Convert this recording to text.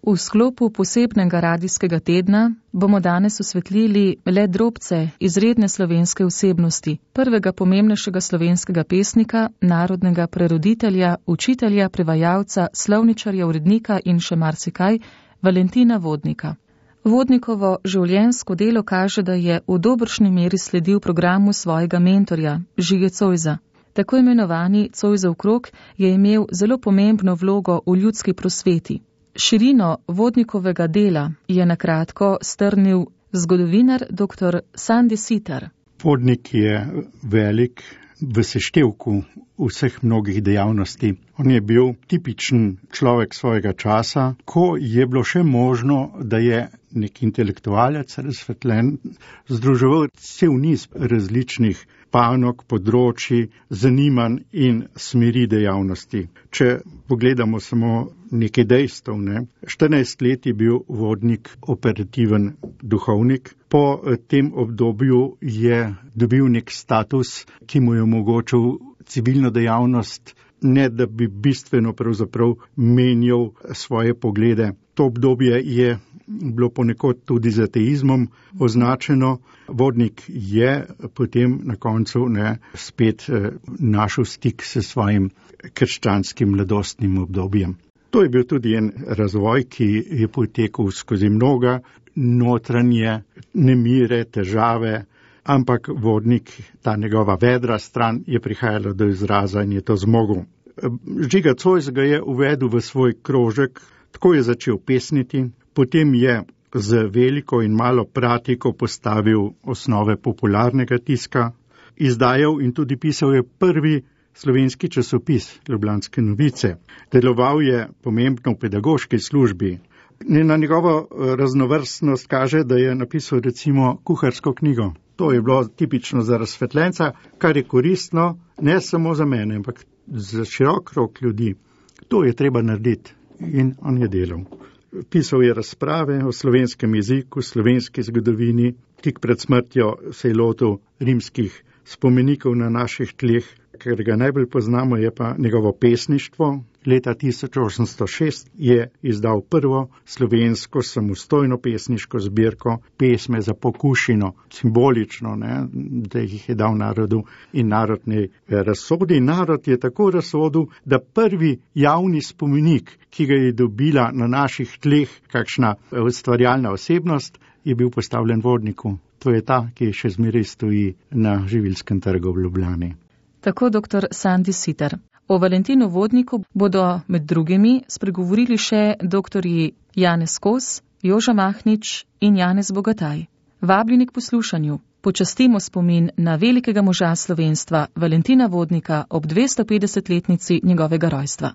V sklopu posebnega radijskega tedna bomo danes osvetlili le drobce izredne slovenske osebnosti, prvega pomembnejšega slovenskega pesnika, narodnega preroditelja, učitelja, prevajalca, slovničarja, urednika in še marsikaj, Valentina Vodnika. Vodnikovo življenjsko delo kaže, da je v dobršni meri sledil programu svojega mentorja, Žige Zoisa. Tako imenovani Zoisov krog je imel zelo pomembno vlogo v ljudski prosveti. Širino Vodnikovega dela je na kratko strnil zgodovinar dr. Sandi Sitar. Vodnik je velik v seštevku vseh mnogih dejavnosti. On je bil tipičen človek svojega časa, ko je bilo še možno, da je nek intelektualec razsvetljen, združeval cel niz različnih panog, področji, zanimanj in smeri dejavnosti. Če pogledamo samo nekaj dejstev, 14 let je bil Vodnik operativen duhovnik. Po tem obdobju je dobil nek status, ki mu je omogočil civilno dejavnost, ne da bi bistveno pravzaprav menjal svoje poglede. To obdobje je bilo ponekod tudi z ateizmom označeno. Vodnik je potem na koncu spet našel stik s svojim krščanskim mladostnim obdobjem. To je bil tudi en razvoj, ki je potekal skozi mnoga notranje nemire, težave, ampak Vodnik, ta njegova vedra stran, je prihajala do izraza in je to zmogel. Žiga Zois ga je uvedel v svoj krožek, tako je začel pesniti, potem je z veliko in malo pratiko postavil osnove popularnega tiska, izdajal in tudi pisal je prvi slovenski časopis Ljubljanske novice. Deloval je pomembno v pedagoški službi. Na njegovo raznovrstnost kaže, da je napisal recimo kuharsko knjigo. To je bilo tipično za razsvetljenca, kar je koristno ne samo za mene, ampak za širok krog ljudi. To je treba narediti in on je delal. Pisal je razprave o slovenskem jeziku, slovenski zgodovini, tik pred smrtjo se je lotil rimskih spomenikov na naših tleh, ker ga najbolj poznamo, je pa njegovo pesništvo. Leta 1806 je izdal prvo slovensko samostojno pesniško zbirko Pesme za pokušino, simbolično, da jih je dal narodu in narodni razsodi. Narod je tako razsodil, da prvi javni spomenik, ki ga je dobila na naših tleh kakšna ustvarjalna osebnost, je bil postavljen Vodniku. To je ta, ki še zmeraj stoji na Živilskem trgu v Ljubljani. Tako dr. Sandi Sitar. O Valentinu Vodniku bodo med drugimi spregovorili še doktorji Janez Kos, Joža Mahnič in Janez Bogataj. Vabljeni k poslušanju. Počastimo spomin na velikega moža slovenstva Valentina Vodnika ob 250-letnici njegovega rojstva.